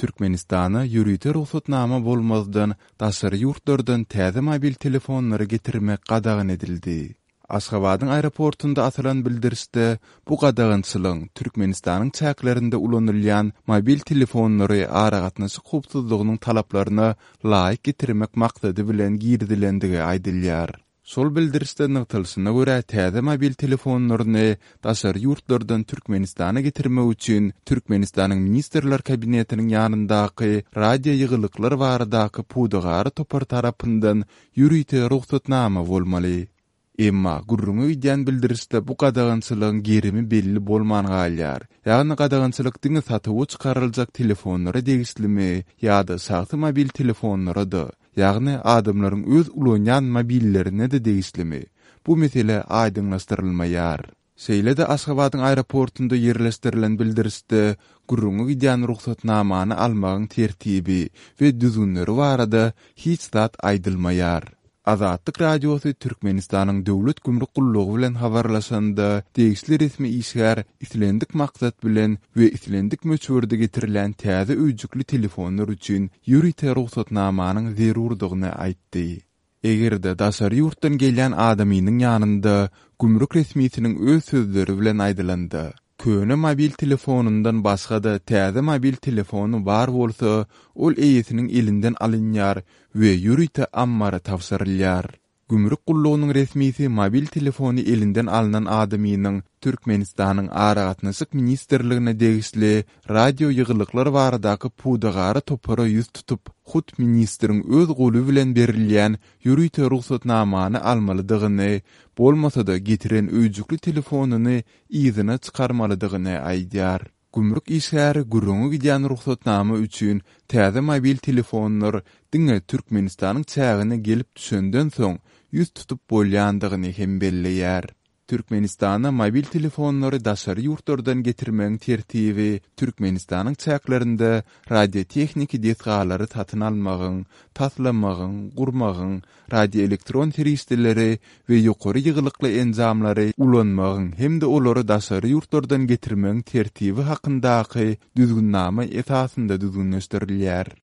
Türkmenistana ýörite rugsatnama bolmazdan daşary ýurtlardan täze mobil telefonlary getirmek gadagan edildi. Aşgabadyň aeroportunda asylan bildirişde bu gadagançylygyň Türkmenistanyň çäklerinde ulanylýan mobil telefonlary aragatnaşyk howpsuzlygynyň talaplaryna laýyk getirmek maksady bilen girizilendigi aýdylýar. Şol bildirişde nygtalyşyna görä, täze mobil telefonlaryny daşary ýurtlardan Türkmenistana getirmek üçin Türkmenistanyň Ministrler Kabinetiniň ýanyndaky Radioýygylyklar baradaky pudagara topar tarapyndan ýörite rugsatnama bolmaly. Emma, gürrüňi gidýän bildirişde bu gadagançylygyň gerimi belli bolman galýar. Ýagny gadagançylyk diňe satuwa çykaryljak telefonlara degişlimi ýa-da şahsy mobil telefonlara-da, Ýagny adamlaryň öz ulanýan mobillerine-de degişlimi? Bu mesele aýdyňlaşdyrylmaýar. Şeýle-de Aşgabadyň aeroportunda ýerleşdirilen bildirişde gürrüňi gidýän rugsatnamany almagyň tertibi we düzgünleri barada hiç zat aýdylmaýar. Azatlyk Radiosy Türkmenistanyň Döwlet gümrük gullugy bilen habarlaşanda, degişli resmi işgär islendik maksat bilen we islendik möçberde getirilýän täze öýjükli telefonlar üçin ýörite rugsatnamanyň zerurdygyny aýtdy. Eger-de daşary ýurtdan gelýän adamynyň ýanynda gümrük resmisiniň öz sözleri bilen aýdylanda, köne mobil telefonyndan başga-da täze mobil telefony bar bolsa, ol eýesiniň elinden alynýar we ýörite ammara tabşyrylýar. Gümrük gullugynyň resmisi mobil telefony elinden alnan adamynyň Türkmenistanyň Aragatnaşyk ministrligine degişli radioýygylyklar baradaky pudagara topara ýüz tutup, hut ministriň öz goly bilen berilýän ýörite rugsatnamany almalydygyny, bolmasa-da getiren öýjükli telefonyny yzyna çykarmalydygyny aýdýar. Gümrük işgäri gürrüňi gidýän rugsatnama üçin täze mobil telefonlar diňe Türkmenistanyň çägine gelip düşenden soň ýüz tutup bolýandygyny hem belleýär. Türkmenistana mobil telefonlary daşary ýurtlardan getirmegiň tertibi Türkmenistanyň çäklerinde radiotehniki desgalary satyn almagyň, taslamagyň, gurmagyň, radioelektron serişdeleri we ýokary ýygylykly enjamlary ulanmagyň hem-de olary daşary ýurtlardan getirmegiň tertibi hakyndaky Düzgünnama esasynda düzgünleşdirilýär.